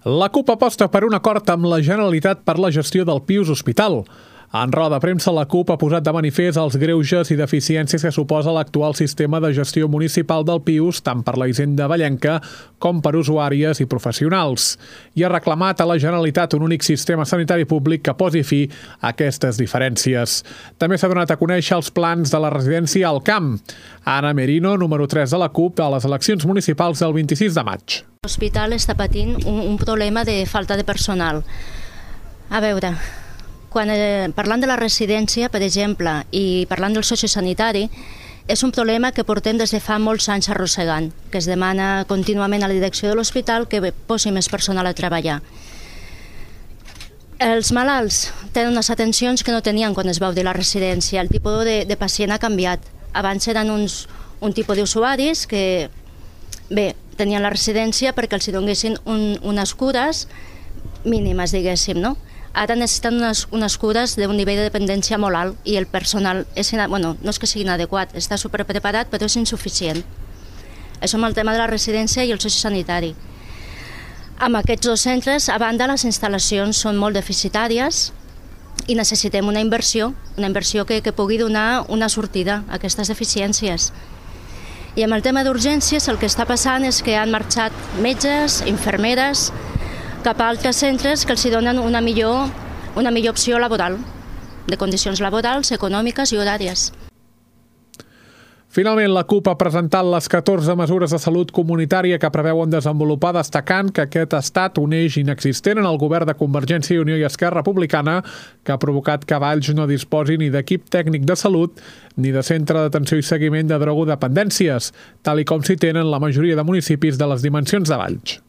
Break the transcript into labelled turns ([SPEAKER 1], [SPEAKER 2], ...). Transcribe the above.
[SPEAKER 1] La CUP aposta per un acord amb la Generalitat per la gestió del Pius Hospital. En roda de premsa, la CUP ha posat de manifest els greuges i deficiències que suposa l'actual sistema de gestió municipal del Pius, tant per la Hisenda Vallenca com per usuàries i professionals. I ha reclamat a la Generalitat un únic sistema sanitari públic que posi fi a aquestes diferències. També s'ha donat a conèixer els plans de la residència al Camp. Anna Merino, número 3 de la CUP, a les eleccions municipals del 26 de maig.
[SPEAKER 2] L'hospital està patint un problema de falta de personal. A veure, quan parlant de la residència, per exemple, i parlant del sociosanitari, és un problema que portem des de fa molts anys arrossegant, que es demana contínuament a la direcció de l'hospital que posi més personal a treballar. Els malalts tenen unes atencions que no tenien quan es va obrir la residència. El tipus de pacient ha canviat. Abans eren un tipus d'usuaris que, bé, tenien la residència perquè els donessin unes cures mínimes, diguéssim, no? Ara necessiten unes cures d'un nivell de dependència molt alt i el personal no és que sigui inadequat, està superpreparat però és insuficient. Això amb el tema de la residència i el sociosanitari. Amb aquests dos centres, a banda, les instal·lacions són molt deficitàries i necessitem una inversió que pugui donar una sortida a aquestes deficiències. I amb el tema d'urgències el que està passant és que han marxat metges, infermeres, cap a altres centres que els donen una millor opció laboral, de condicions laborals, econòmiques i horàries.
[SPEAKER 1] Finalment, la CUP ha presentat les 14 mesures de salut comunitària que preveuen desenvolupar, destacant que aquest ha estat un eix inexistent en el govern de Convergència i Unió i Esquerra Republicana, que ha provocat que Valls no disposi ni d'equip tècnic de salut ni de centre d'atenció i seguiment de drogodependències, tal i com s'hi tenen la majoria de municipis de les dimensions de Valls.